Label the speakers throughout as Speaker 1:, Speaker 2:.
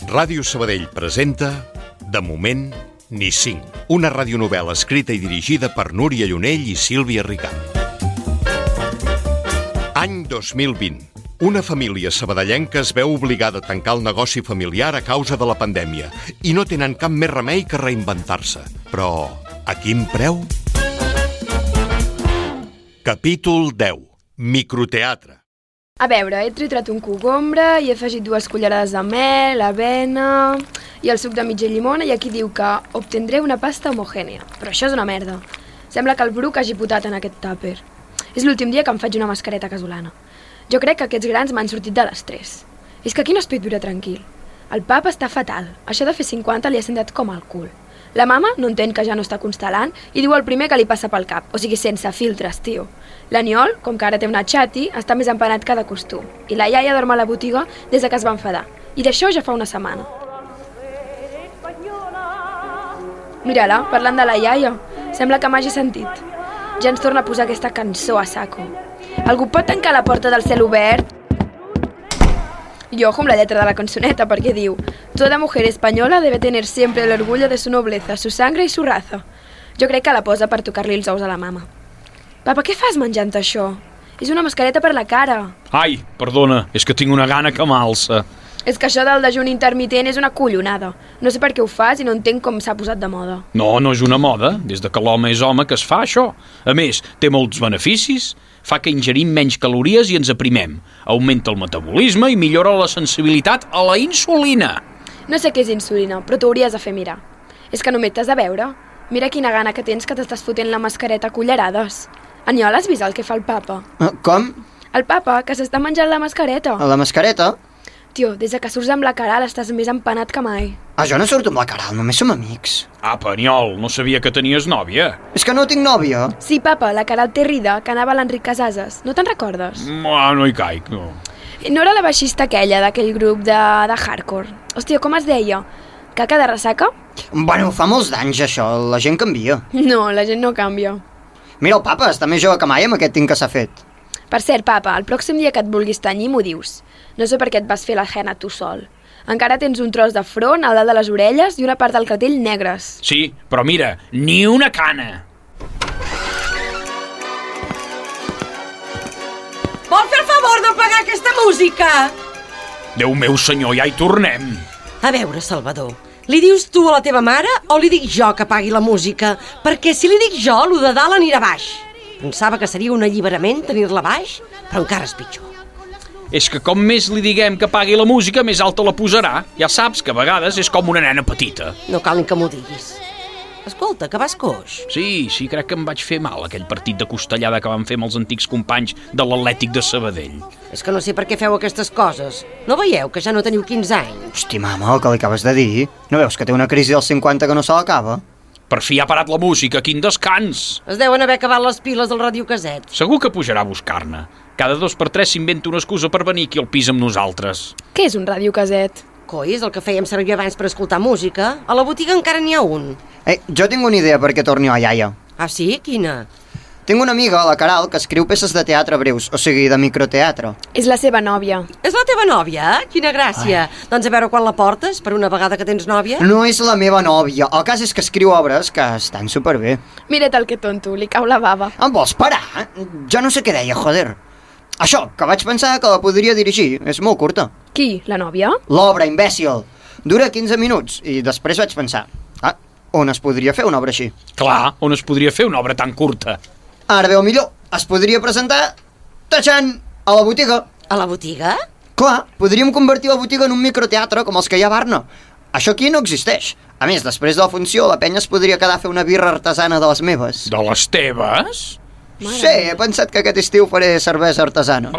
Speaker 1: Ràdio Sabadell presenta De moment, ni cinc. Una radionovel·la escrita i dirigida per Núria Llunell i Sílvia Ricart. Any 2020. Una família sabadellenca es veu obligada a tancar el negoci familiar a causa de la pandèmia i no tenen cap més remei que reinventar-se. Però a quin preu? Capítol 10. Microteatre.
Speaker 2: A veure, he triturat un cogombre i he afegit 2 cullerades de mel, avena i el suc de mitja llimona, i aquí diu que obtendré una pasta homogènia. Però això és una merda. Sembla que el Bruc hagi potat en aquest tàper. És l'últim dia que em faig una mascareta casolana. Jo crec que aquests grans m'han sortit de l'estrès. És que aquí no es pot viure tranquil. El papa està fatal. Això de fer 50 li ha sentat com el cul. La mama no entén que ja no està constel·lant i diu el primer que li passa pel cap, o sigui, sense filtres, tio. L'Aniol, com que ara té una xati, està més empanat que de costum. I la iaia dorm a la botiga des que es va enfadar. I d'això ja fa una setmana. Mira-la, parlant de la iaia. Sembla que m'hagi sentit. Ja ens torna a posar aquesta cançó a saco. Algú pot tancar la porta del cel obert? I ojo amb la lletra de la cançoneta, perquè diu: Toda mujer española debe tener siempre el orgullo de su nobleza, su sangre y su raza. Jo crec que la posa per tocar-li els ous a la mama. Papa, què fas menjant això? És una mascareta per la cara.
Speaker 3: Ai, perdona, és que tinc una gana que m'alça.
Speaker 2: És que això del dejuni intermitent és una collonada. No sé per què ho fas i no entenc com s'ha posat de moda.
Speaker 3: No, no és una moda, des de que l'home és home que es fa això. A més, té molts beneficis, fa que ingerim menys calories i ens aprimem, augmenta el metabolisme i millora la sensibilitat a la insulina.
Speaker 2: No sé què és insulina, però t'ho hauries de fer mirar. És que només t'has de veure. Mira quina gana que tens que t'estàs fotent la mascareta a cullerades. Aniol, has vist el que fa el papa?
Speaker 4: Com?
Speaker 2: El papa, que s'està menjant la mascareta.
Speaker 4: A la mascareta?
Speaker 2: Tio, des que surts amb la Caral estàs més empanat que mai.
Speaker 4: Jo no surto amb la Caral, només som amics.
Speaker 3: Apa, Aniol, no sabia que tenies nòvia.
Speaker 4: És que no tinc nòvia.
Speaker 2: Sí, papa, la Caral té rida, que anava a l'Enric Casases. No te'n recordes?
Speaker 3: No hi caic, no.
Speaker 2: No era la baixista aquella d'aquell grup de hardcore. Hòstia, com es deia? Caca de ressaca?
Speaker 4: Bueno, fa molts d'anys això, la gent canvia.
Speaker 2: No, la gent no canvia.
Speaker 4: Mira, el papa està més jove que mai amb aquest tint que s'ha fet.
Speaker 2: Per cert, papa, el pròxim dia que et vulguis tenyir m'ho dius. No sé per què et vas fer la henna tu sol. Encara tens un tros de front, al dalt de les orelles i una part del clatell negres.
Speaker 3: Sí, però mira, ni una cana.
Speaker 5: Vol fer el favor d'apagar aquesta música?
Speaker 3: Déu meu senyor, ja hi tornem.
Speaker 5: A veure, Salvador, li dius tu a la teva mare o li dic jo que apagui la música? Perquè si li dic jo, lo de dalt anirà baix. Pensava que seria un alliberament tenir-la baix, però encara és pitjor.
Speaker 3: És que com més li diguem que apagui la música, més alta la posarà. Ja saps que a vegades és com una nena petita.
Speaker 5: No cal ni que m'ho diguis. Escolta, que vas coix.
Speaker 3: Sí, crec que em vaig fer mal aquell partit de costellada que vam fer amb els antics companys de l'Atlètic de Sabadell.
Speaker 5: És que no sé per què feu aquestes coses. No veieu que ja no teniu 15 anys?
Speaker 4: Hosti, mama, el que li acabes de dir? No veus que té una crisi dels 50 que no se l'acaba?
Speaker 3: Per fi ha parat la música, quin descans!
Speaker 5: Es deuen haver acabat les piles del radiocaset.
Speaker 3: Segur que pujarà a buscar-ne. Cada 2 per 3 s'inventa una excusa per venir aquí al pis amb nosaltres.
Speaker 2: Què és un radiocaset?
Speaker 5: Coi, és el que fèiem servir abans per escoltar música. A la botiga encara n'hi ha un.
Speaker 4: Jo tinc una idea perquè torni la iaia.
Speaker 5: Ah, sí? Quina?
Speaker 4: Tinc una amiga, la Caral, que escriu peces de teatre breus, o sigui, de microteatre.
Speaker 2: És la seva nòvia.
Speaker 5: És la teva nòvia? Quina gràcia. Doncs a veure quan la portes, per una vegada que tens nòvia.
Speaker 4: No és la meva nòvia. El cas és que escriu obres que estan superbé.
Speaker 2: Mira't el que tonto, li cau la bava.
Speaker 4: Em vols parar? Jo no sé què deia, joder. Això, que vaig pensar que la podria dirigir. És molt curta.
Speaker 2: Qui? La nòvia?
Speaker 4: L'obra, imbècil. Dura 15 minuts i després vaig pensar, on es podria fer una obra així?
Speaker 3: Clar, on es podria fer una obra tan curta?
Speaker 4: Ara veu millor, es podria presentar tatxant a la botiga.
Speaker 5: A la botiga?
Speaker 4: Clar, podríem convertir la botiga en un microteatre com els que hi ha a Barna. Això aquí no existeix. A més, després de la funció, la penya es podria quedar a fer una birra artesana de les meves.
Speaker 3: De les teves?
Speaker 4: Sí, he pensat que aquest estiu faré cervesa artesana.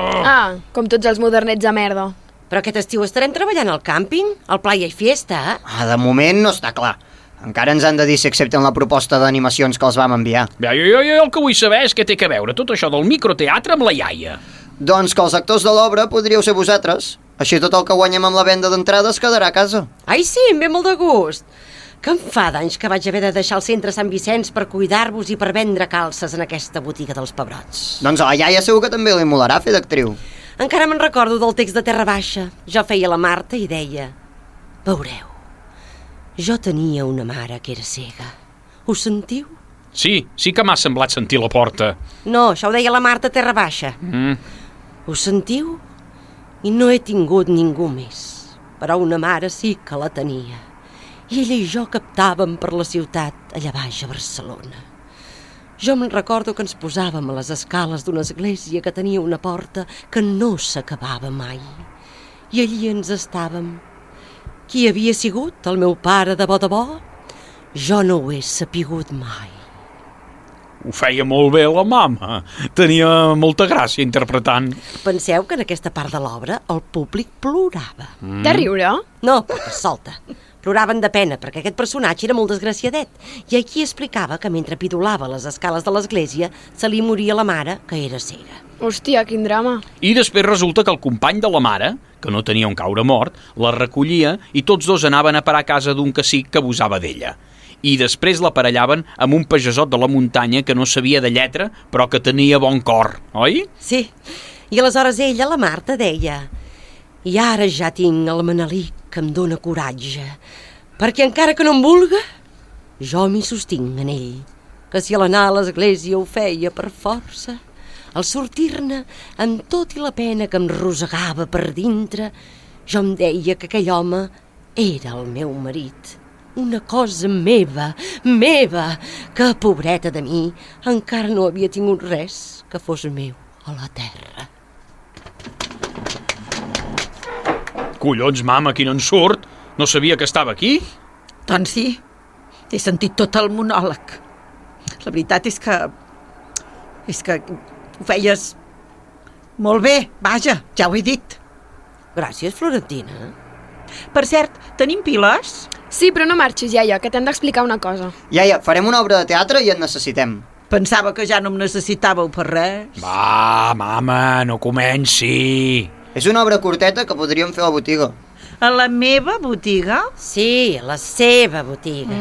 Speaker 2: Com tots els modernets de merda.
Speaker 5: Però aquest estiu estarem treballant al càmping? Al Playa i Fiesta?
Speaker 4: De moment no està clar. Encara ens han de dir si accepten la proposta d'animacions que els vam enviar.
Speaker 3: Jo el que vull saber és què té que veure tot això del microteatre amb la iaia.
Speaker 4: Doncs que els actors de l'obra podríeu ser vosaltres. Així tot el que guanyem amb la venda d'entrades quedarà a casa.
Speaker 5: Ai, sí, em ve molt de gust. Que em fa d'anys que vaig haver de deixar el centre Sant Vicenç per cuidar-vos i per vendre calces en aquesta botiga dels pebrots.
Speaker 4: Doncs a la iaia segur que també li molarà fer d'actriu.
Speaker 5: Encara me'n recordo del text de Terra Baixa. Jo feia la Marta i deia: Veureu, jo tenia una mare que era cega. Ho sentiu?
Speaker 3: Sí que m'ha semblat sentir la porta.
Speaker 5: No, això ho deia la Marta Terra Baixa. Ho sentiu? I no he tingut ningú més. Però una mare sí que la tenia. I ella i jo captàvem per la ciutat allà baix a Barcelona. Jo me'n recordo que ens posàvem a les escales d'una església que tenia una porta que no s'acabava mai. I allí ens estàvem. Qui havia sigut el meu pare de bo? Jo no ho he sapigut mai.
Speaker 3: Ho feia molt bé la mama. Tenia molta gràcia interpretant.
Speaker 5: Penseu que en aquesta part de l'obra el públic plorava.
Speaker 2: De riure?
Speaker 5: No, perquè solta. Ploraven de pena, perquè aquest personatge era molt desgraciadet. I aquí explicava que mentre pidolava a les escales de l'església se li moria la mare, que era cega.
Speaker 2: Hòstia, quin drama.
Speaker 3: I després resulta que el company de la mare, que no tenia on caure mort, la recollia i tots dos anaven a parar a casa d'un cacic que abusava d'ella. I després l'aparellaven amb un pagesot de la muntanya que no sabia de lletra, però que tenia bon cor, oi?
Speaker 5: Sí, i aleshores ella, la Marta, deia: i ara ja tinc el Manelic que em dóna coratge, perquè encara que no em vulga, jo m'hi sostinc en ell, que si a l'anar a l'església ho feia per força, al sortir-ne, amb tot i la pena que em rosegava per dintre, jo em deia que aquell home era el meu marit, una cosa meva, que, pobreta de mi, encara no havia tingut res que fos meu a la terra.
Speaker 3: Collons, mama, qui no en surt? No sabia que estava aquí?
Speaker 6: Doncs sí, he sentit tot el monòleg. La veritat és que ho feies molt bé, vaja, ja ho he dit.
Speaker 5: Gràcies, Florentina.
Speaker 6: Per cert, tenim piles?
Speaker 2: Sí, però no marxis, iaia, que t'hem d'explicar una cosa.
Speaker 4: Iaia, farem una obra de teatre i et necessitem.
Speaker 6: Pensava que ja no em necessitàveu per res.
Speaker 3: Va, mama, no comenci.
Speaker 4: És una obra curteta que podríem fer a la botiga.
Speaker 6: A la meva botiga?
Speaker 5: Sí, a la seva botiga.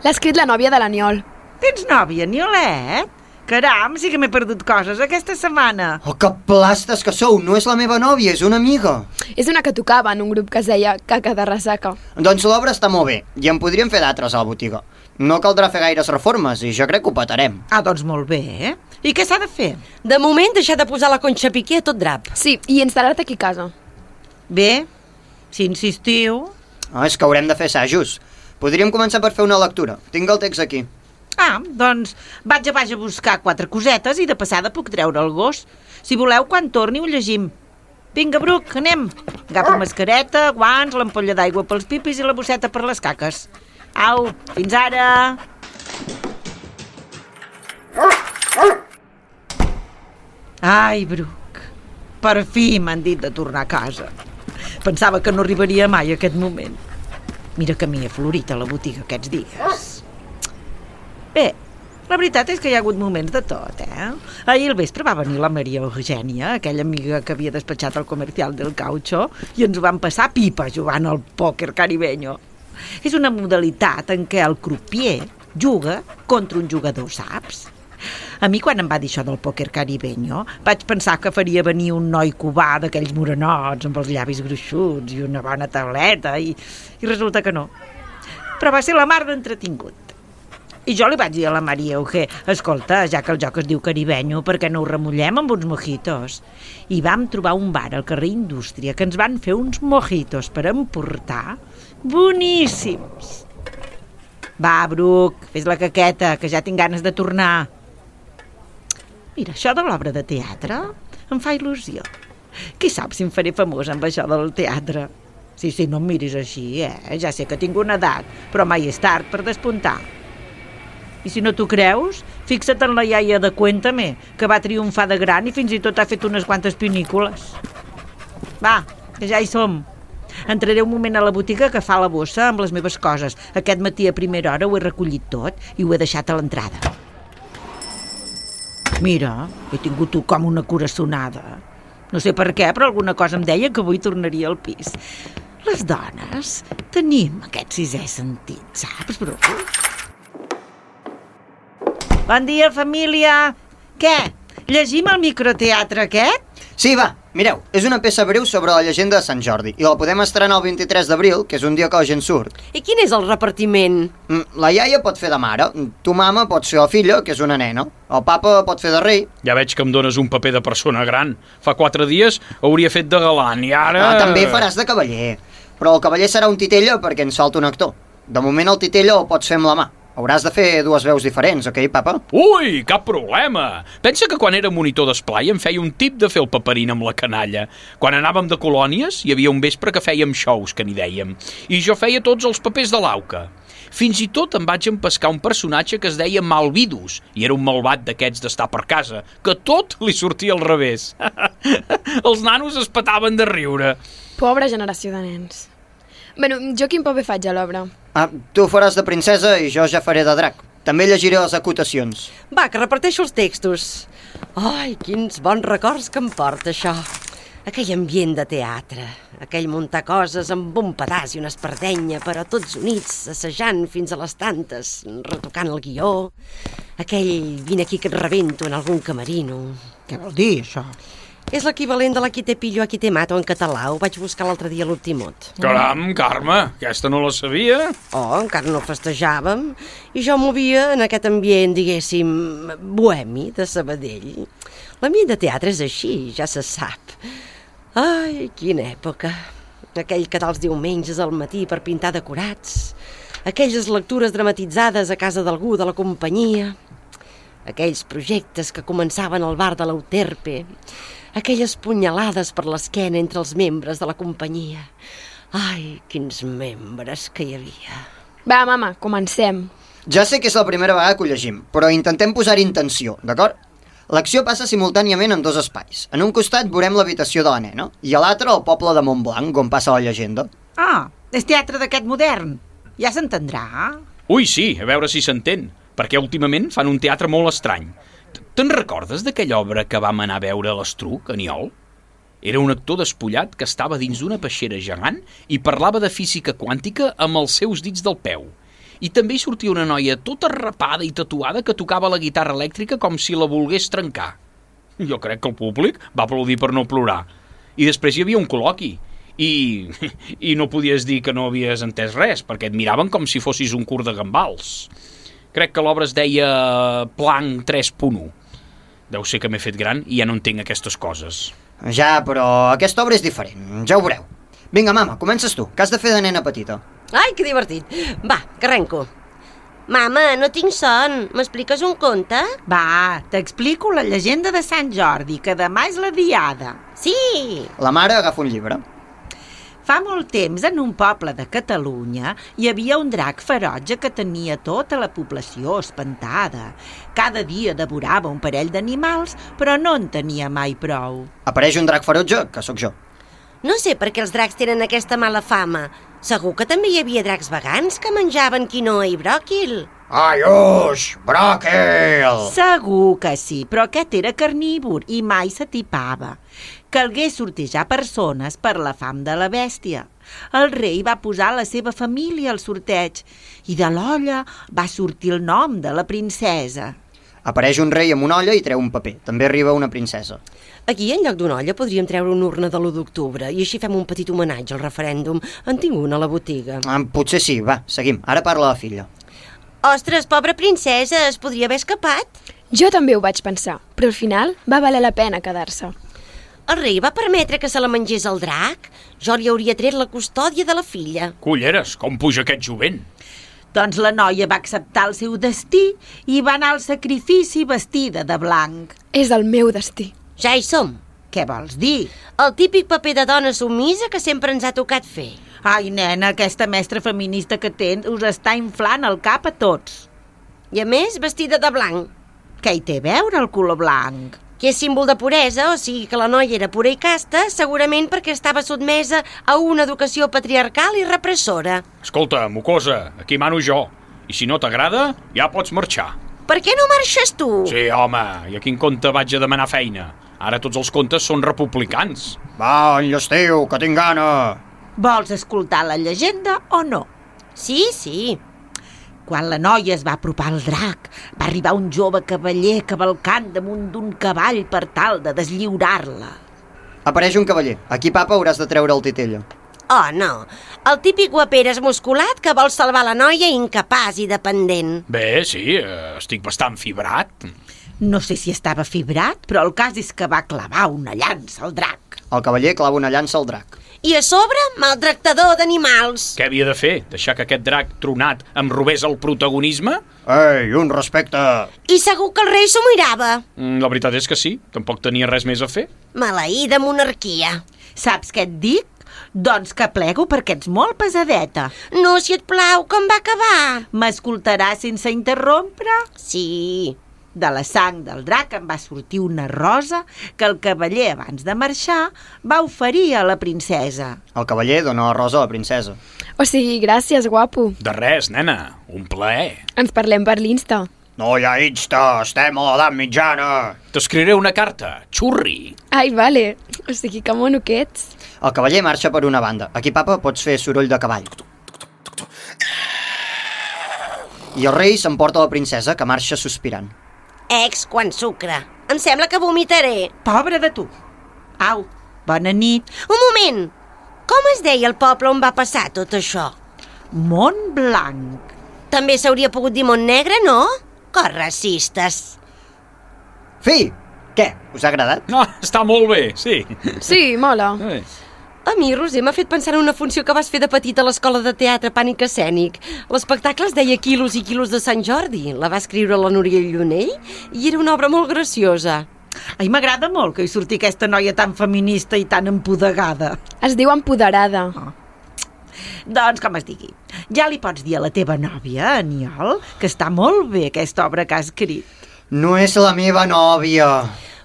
Speaker 2: L'ha escrit la nòvia de l'Aniol.
Speaker 6: Tens nòvia, Niolet? Caram, sí que m'he perdut coses aquesta setmana.
Speaker 4: Oh, que plastes que sou! No és la meva nòvia, és una amiga.
Speaker 2: És una que tocava en un grup que es deia Caca de Ressaca.
Speaker 4: Doncs l'obra està molt bé, i en podríem fer d'altres a la botiga. No caldrà fer gaires reformes, i jo crec que ho petarem.
Speaker 6: Ah, doncs molt bé, eh? I què s'ha de fer?
Speaker 5: De moment, deixar de posar la Conxa Piqué a tot drap.
Speaker 2: Sí, i instal·lar-te aquí a casa.
Speaker 6: Bé, si insistiu...
Speaker 4: Ah, és que haurem de fer assajos. Podríem començar per fer una lectura. Tinc el text aquí.
Speaker 6: Ah, doncs vaig a baix a buscar 4 cosetes i de passada puc treure el gos. Si voleu, quan torni ho llegim. Vinga, Bruc, anem. Agafa mascareta, guants, l'ampolla d'aigua pels pipis i la bosseta per les caques. Au, fins ara! Ai, Bruc, per fi m'han dit de tornar a casa. Pensava que no arribaria mai a aquest moment. Mira que m'hi he florit a la botiga aquests dies. Bé, la veritat és que hi ha hagut moments de tot, eh? Ahir al vespre va venir la Maria Eugènia, aquella amiga que havia despatxat el comercial del caucho, i ens ho vam passar pipa jugant al pòquer caribeño. És una modalitat en què el croupier juga contra un jugador, saps? A mi, quan em va dir això del pòquer caribeño, vaig pensar que faria venir un noi cubà d'aquells morenots amb els llavis gruixuts i una bona tauleta, i resulta que no. Però va ser la mar d'entretingut. I jo li vaig dir a la Maria Eugé: escolta, ja que el joc es diu caribenyo, per què no ho remullem amb uns mojitos? I vam trobar un bar al carrer Indústria que ens van fer uns mojitos per emportar boníssims. Va, Bruc, fes la caqueta, que ja tinc ganes de tornar. Mira, això de l'obra de teatre em fa il·lusió. Qui sap si em faré famosa amb això del teatre? Sí, no em miris així, Ja sé que tinc una edat, però mai és tard per despuntar. I si no t'ho creus, fixa't en la iaia de Cuéntame, que va triomfar de gran i fins i tot ha fet unes quantes pinícules. Va, que ja hi som. Entraré un moment a la botiga a agafar la bossa amb les meves coses. Aquest matí a primera hora ho he recollit tot i ho he deixat a l'entrada. Mira, he tingut com una coraçonada. No sé per què, però alguna cosa em deia que avui tornaria al pis. Les dones tenim aquest sisè sentit, saps, Bru? Bon dia, família! Què? Llegim el microteatre aquest?
Speaker 4: Sí, va, Mireu, és una peça breu sobre la llegenda de Sant Jordi i la podem estrenar el 23 d'abril, que és un dia que la gent surt.
Speaker 5: I quin és el repartiment?
Speaker 4: La iaia pot fer de mare, tu mama pots fer la filla, que és una nena, el papa pot fer de rei.
Speaker 3: Ja veig que em dones un paper de persona gran. Fa 4 dies hauria fet de galant i ara...
Speaker 4: També faràs de cavaller, però el cavaller serà un titella perquè ens falta un actor. De moment el titella el pots fer amb la mà. Hauràs de fer 2 veus diferents, ok, papa?
Speaker 3: Ui, cap problema! Pensa que quan era monitor d'esplai em feia un tip de fer el paperín amb la canalla. Quan anàvem de colònies, hi havia un vespre que fèiem shows, que n'hi dèiem, i jo feia tots els papers de l'auca. Fins i tot em vaig empescar un personatge que es deia Malvidus, i era un malvat d'aquests d'estar per casa, que tot li sortia al revés. Els nanos es petaven de riure.
Speaker 2: Pobra generació de nens. Bueno, jo quin paper faig a l'obra?
Speaker 4: Tu faràs de princesa i jo ja faré de drac. També llegiré les acotacions.
Speaker 5: Va, que reparteixo els textos. Ai, quins bons records que em porta això. Aquell ambient de teatre, aquell muntar coses amb un pedaç i una espardenya, però tots units, assajant fins a les tantes, retocant el guió. Aquell vine aquí que et rebento en algun camerino.
Speaker 6: Què vol dir, això?
Speaker 5: És l'equivalent de la qui te pillo a qui te mato en català. Ho vaig buscar l'altre dia a l'Optimot.
Speaker 3: Caram, Carme, aquesta no la sabia.
Speaker 5: Oh, encara no festejàvem. I jo movia en aquest ambient, diguéssim, bohemi de Sabadell. L'ambient de teatre és així, ja se sap. Ai, quina època. Aquell quedar els diumenges al matí per pintar decorats. Aquelles lectures dramatitzades a casa d'algú de la companyia. Aquells projectes que començaven al bar de l'Euterpe. Aquelles punyalades per l'esquena entre els membres de la companyia. Ai, quins membres que hi havia.
Speaker 2: Va, mama, comencem.
Speaker 4: Ja sé que és la primera vegada que ho llegim, però intentem posar-hi intenció, d'acord? L'acció passa simultàniament en 2 espais. En un costat veurem l'habitació de la nena i a l'altre el poble de Montblanc, on passa la llegenda.
Speaker 6: Ah, és teatre d'aquest modern. Ja s'entendrà.
Speaker 3: Ui, sí, a veure si s'entén, perquè últimament fan un teatre molt estrany. Te'n recordes d'aquella obra que vam anar a veure a l'Estruc, a Niol? Era un actor despullat que estava dins d'una peixera gegant i parlava de física quàntica amb els seus dits del peu. I també hi sortia una noia tota rapada i tatuada que tocava la guitarra elèctrica com si la volgués trencar. Jo crec que el públic va aplaudir per no plorar. I després hi havia un col·loqui. I no podies dir que no havies entès res, perquè et miraven com si fossis un curt de gambals. Crec que l'obra es deia Planck 3.1. Deu ser que m'he fet gran i ja no entenc aquestes coses.
Speaker 4: Ja, però aquesta obra és diferent, ja ho veureu. Vinga, mama, comences tu, que has de fer de nena petita.
Speaker 5: Ai, que divertit. Va, que arrenco. Mama, no tinc son. M'expliques un conte?
Speaker 6: Va, t'explico la llegenda de Sant Jordi, que demà és la diada.
Speaker 5: Sí!
Speaker 4: La mare agafa un llibre.
Speaker 6: Fa molt temps, en un poble de Catalunya, hi havia un drac ferotge que tenia tota la població espantada. Cada dia devorava un parell d'animals, però no en tenia mai prou.
Speaker 4: Apareix un drac ferotge, que sóc jo.
Speaker 5: No sé per què els dracs tenen aquesta mala fama. Segur que també hi havia dracs vegans que menjaven quinoa i bròquil.
Speaker 4: Ai, uix, bròquil!
Speaker 6: Segur que sí, però aquest era carnívor i mai s'atipava. Calgué sortejar persones per la fam de la bèstia. El rei va posar la seva família al sorteig i de l'olla va sortir el nom de la princesa.
Speaker 4: Apareix un rei amb una olla i treu un paper. També arriba una princesa.
Speaker 5: Aquí, en lloc d'una olla, podríem treure una urna de l'1 d'octubre i així fem un petit homenatge al referèndum. En tinc una a la botiga.
Speaker 4: Potser sí, va, seguim. Ara parla la filla.
Speaker 5: Ostres, pobra princesa, es podria haver escapat?
Speaker 2: Jo també ho vaig pensar, però al final va valer la pena quedar-se.
Speaker 5: El rei va permetre que se la mengés el drac? Jo li hauria tret la custòdia de la filla.
Speaker 3: Culleres, com puja aquest jovent?
Speaker 6: Doncs la noia va acceptar el seu destí i va anar al sacrifici vestida de blanc.
Speaker 2: És el meu destí.
Speaker 5: Ja hi som.
Speaker 6: Què vols dir?
Speaker 5: El típic paper de dona submisa que sempre ens ha tocat fer.
Speaker 6: Ai, nena, aquesta mestra feminista que tens us està inflant el cap a tots.
Speaker 5: I a més, vestida de blanc.
Speaker 6: Què hi té a veure el color blanc?
Speaker 5: Que és símbol de puresa, o sigui que la noia era pura i casta, segurament perquè estava sotmesa a una educació patriarcal i repressora.
Speaker 3: Escolta, mocosa, aquí mano jo. I si no t'agrada, ja pots marxar.
Speaker 5: Per què no marxes tu?
Speaker 3: Sí, home, i a quin compte vaig a demanar feina? Ara tots els comptes són republicans.
Speaker 4: Va, enllestiu, que tinc gana.
Speaker 6: Vols escoltar la llegenda o no?
Speaker 5: Sí, sí.
Speaker 6: Quan la noia es va apropar al drac, va arribar un jove cavaller cavalcant damunt d'un cavall per tal de deslliurar-la.
Speaker 4: Apareix un cavaller. Aquí, papa, hauràs de treure el titella.
Speaker 5: Oh, no. El típic guaperes musculat que vol salvar la noia incapaç i dependent.
Speaker 3: Bé, sí, estic bastant fibrat.
Speaker 6: No sé si estava fibrat, però el cas és que va clavar una llança al drac.
Speaker 4: El cavaller clava una llança al drac.
Speaker 5: I a sobre, maltractador d'animals.
Speaker 3: Què havia de fer? Deixar que aquest drac tronat em robés el protagonisme?
Speaker 4: Ei, un respecte!
Speaker 5: I segur que el rei s'ho mirava.
Speaker 3: La veritat és que sí, tampoc tenia res més a fer.
Speaker 5: Maleïda monarquia.
Speaker 6: Saps què et dic? Doncs que plego perquè ets molt pesadeta.
Speaker 5: No, si et plau, com va acabar?
Speaker 6: M'escoltaràs sense interrompre?
Speaker 5: Sí.
Speaker 6: De la sang del drac em va sortir una rosa que el cavaller, abans de marxar, va oferir a la princesa.
Speaker 4: El cavaller dona la rosa a la princesa.
Speaker 2: O sigui, gràcies, guapo.
Speaker 3: De res, nena, un plaer.
Speaker 2: Ens parlem per l'Insta.
Speaker 4: No hi ha Insta, estem a l'edat mitjana.
Speaker 3: T'escriuré una carta, xurri.
Speaker 2: Ai, vale. O sigui, que mono que ets.
Speaker 4: El cavaller marxa per una banda. Aquí, papa, pots fer soroll de cavall. I el rei s'emporta la princesa, que marxa sospirant.
Speaker 5: Quan sucre. Em sembla que vomitaré.
Speaker 6: Pobre de tu. Au, bona nit.
Speaker 5: Un moment. Com es deia el poble on va passar tot això?
Speaker 6: Montblanc.
Speaker 5: També s'hauria pogut dir Montnegre, no? Que racistes.
Speaker 4: Fi! Què? Us ha agradat?
Speaker 3: No, està molt bé, sí.
Speaker 2: Sí, mola.
Speaker 5: A mi, Roser, m'ha fet pensar en una funció que vas fer de petita a l'escola de teatre Pànic Escènic. L'espectacle es deia Quilos i quilos de Sant Jordi. La va escriure la Núria Llunell i era una obra molt graciosa.
Speaker 6: Ai, m'agrada molt que hi surti aquesta noia tan feminista i tan empodegada.
Speaker 2: Es diu empoderada.
Speaker 6: Doncs, com es digui, ja li pots dir a la teva nòvia, Aniol, que està molt bé aquesta obra que ha escrit.
Speaker 4: No és la meva nòvia.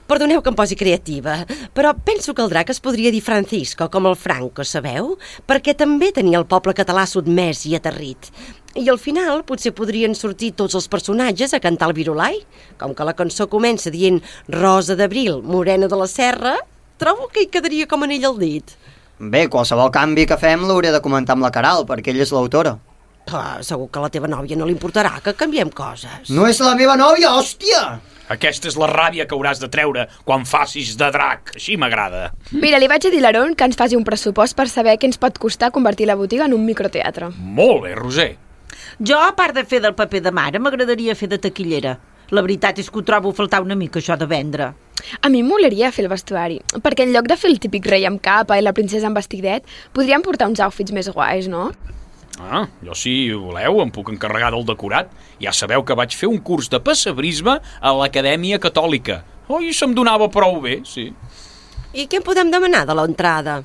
Speaker 5: Perdoneu que em posi creativa, però penso que el drac es podria dir Francisco, com el Franco, sabeu? Perquè també tenia el poble català sotmès i aterrit. I al final potser podrien sortir tots els personatges a cantar el virulai. Com que la cançó comença dient Rosa d'Abril, morena de la serra, trobo que hi quedaria com anell al dit.
Speaker 4: Bé, qualsevol canvi que fem l'hauré de comentar amb la Caral, perquè ella és l'autora.
Speaker 5: Segur que a la teva nòvia no li importarà que canviem coses.
Speaker 4: No és la meva nòvia, hòstia!
Speaker 3: Aquesta és la ràbia que hauràs de treure quan facis de drac. Així m'agrada.
Speaker 2: Mira, li vaig a dir a l'Aaron que ens faci un pressupost per saber què ens pot costar convertir la botiga en un microteatre.
Speaker 3: Molt bé, Roser.
Speaker 6: Jo, a part de fer del paper de mare, m'agradaria fer de taquillera. La veritat és que ho trobo a faltar una mica, això de vendre.
Speaker 2: A mi em molaria fer el vestuari, perquè en lloc de fer el típic rei amb capa i la princesa amb vestidet, podríem portar uns outfits més guais, no?
Speaker 3: Jo si voleu em puc encarregar del decorat. Ja sabeu que vaig fer un curs de pessebrisme a l'Acadèmia Catòlica. I se'm donava prou bé, sí.
Speaker 5: I què podem demanar de l'entrada?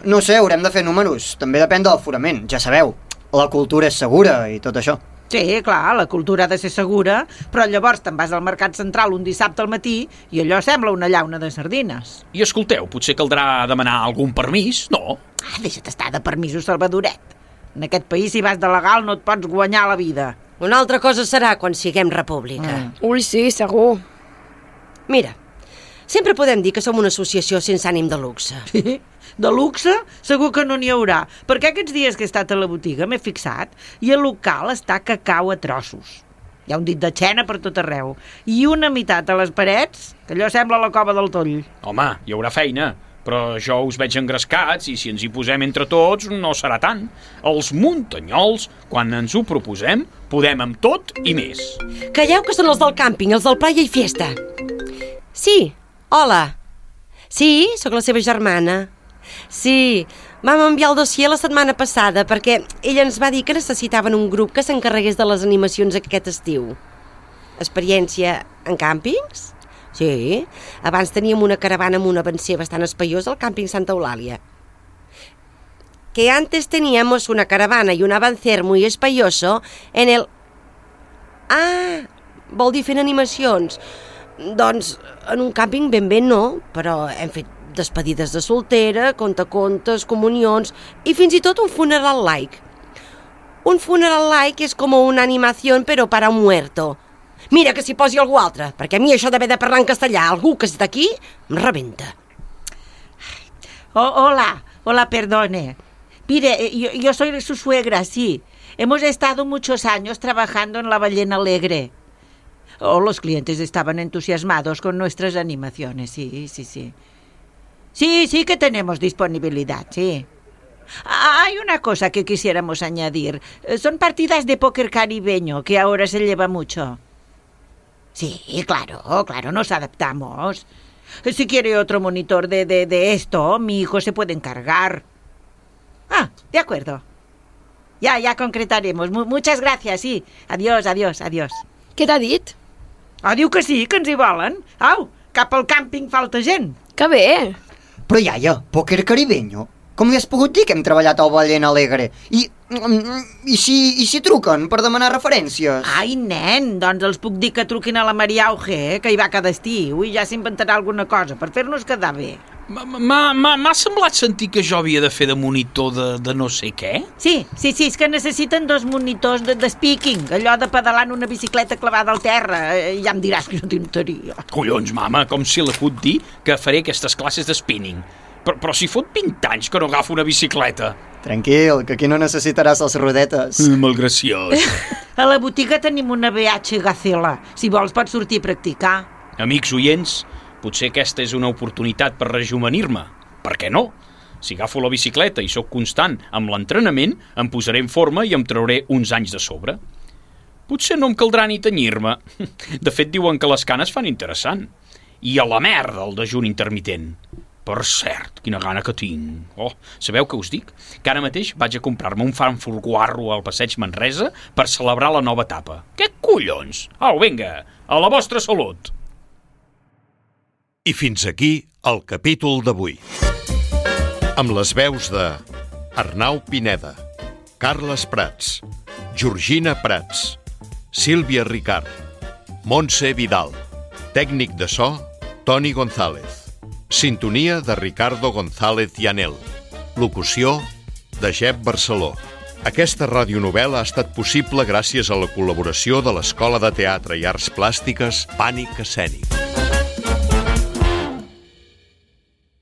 Speaker 4: No sé, haurem de fer números. També depèn de l'aforament, ja sabeu. La cultura és segura i tot això.
Speaker 6: Sí, clar, la cultura ha de ser segura, però llavors te'n vas al Mercat Central un dissabte al matí i allò sembla una llauna de sardines.
Speaker 3: I escolteu, potser caldrà demanar algun permís, no?
Speaker 6: Deixa't estar de permisos, Salvadoret. En aquest país, si vas de legal, no et pots guanyar la vida.
Speaker 5: Una altra cosa serà quan siguem república.
Speaker 2: Ui, sí, segur.
Speaker 5: Mira, sempre podem dir que som una associació sense ànim de luxe.
Speaker 6: Sí? De luxe? Segur que no n'hi haurà, perquè aquests dies que he estat a la botiga m'he fixat i el local està cacau a trossos. Hi ha un dit de xena per tot arreu i una meitat a les parets, que allò sembla la cova del Toll.
Speaker 3: Home, hi haurà feina, però jo us veig engrescats i si ens hi posem entre tots no serà tant. Els muntanyols, quan ens ho proposem, podem amb tot i més.
Speaker 5: Calleu que són els del càmping, els del Playa i Fiesta. Sí, hola. Sí, sóc la seva germana. Sí, vam enviar el dossier la setmana passada perquè ella ens va dir que necessitaven un grup que s'encarregués de les animacions aquest estiu. Experiència en càmpings? Sí, abans teníem una caravana amb un avancer bastant espaiós al càmping Santa Eulàlia. Que antes teníamos una caravana y un avancer muy espaioso en el... vol dir fent animacions. Doncs en un càmping ben bé no, però hem fet despedides de soltera, contacontes, comunions i fins i tot un funeral laic. Un funeral laic és com una animació però para un muerto. Mira que s'hi posi algú altre, perquè a mi això d'haver de parlar en castellà, algú que està aquí, em rebenta.
Speaker 6: Hola, perdone. Mire, yo soy su suegra, sí. Hemos estado muchos años trabajando en la Ballena Alegre. Los clientes estaban entusiasmados con nuestras animaciones, sí. Sí que tenemos disponibilidad, sí. Hay una cosa que quisiéramos añadir. Son partidas de póker caribeño, que ahora se lleva mucho. Sí, claro, nos adaptamos. Si quiere otro monitor de esto, mi hijo se puede encargar. De acuerdo. Ya concretaremos. Muchas gracias, sí. Adiós.
Speaker 2: Què t'ha dit?
Speaker 6: Diu que sí, que ens hi volen. Au, cap al càmping falta gent.
Speaker 2: Que bé!
Speaker 4: Però, iaia, pòquer caribeño? Com li has pogut dir que hem treballat al Ballena Alegre? I si truquen per demanar referències?
Speaker 6: Ai, nen, doncs els puc dir que truquin a la Maria Auge, que hi va cada estiu, i ja s'inventarà alguna cosa per fer-nos quedar bé.
Speaker 3: M'ha semblat sentir que jo havia de fer de monitor de no sé què.
Speaker 6: Sí, és que necessiten 2 monitors de speaking, allò de pedalar en una bicicleta clavada al terra. Ja em diràs que no t'interia.
Speaker 3: Collons, mama, com si la puc dir que faré aquestes classes de spinning. Però si fot 20 anys que no agafo una bicicleta.
Speaker 4: Tranquil, que aquí no necessitaràs les rodetes.
Speaker 3: Malgraciós.
Speaker 6: A la botiga tenim una BH Gacela. Si vols pots sortir a practicar.
Speaker 3: Amics oients, potser aquesta és una oportunitat per rejuvenir-me. Per què no? Si agafo la bicicleta i sóc constant amb l'entrenament, em posaré en forma i em trauré uns anys de sobre. Potser no em caldrà ni tenyir-me. De fet, diuen que les canes fan interessant. I a la merda el dejuni intermitent. Per cert, quina gana que tinc. Sabeu què us dic? Que ara mateix vaig a comprar-me un Frankfurt guarro al passeig Manresa per celebrar la nova etapa. Què collons? Au, vinga, a la vostra salut.
Speaker 1: I fins aquí el capítol d'avui. Amb les veus de Arnau Pineda, Carles Prats, Georgina Prats, Sílvia Ricard, Montse Vidal, tècnic de so, Toni González. Sintonia de Ricardo González Llanel. Locució de Jep Barceló. Aquesta radionovel·la ha estat possible gràcies a la col·laboració de l'Escola de Teatre i Arts Plàstiques Pànic Escènic.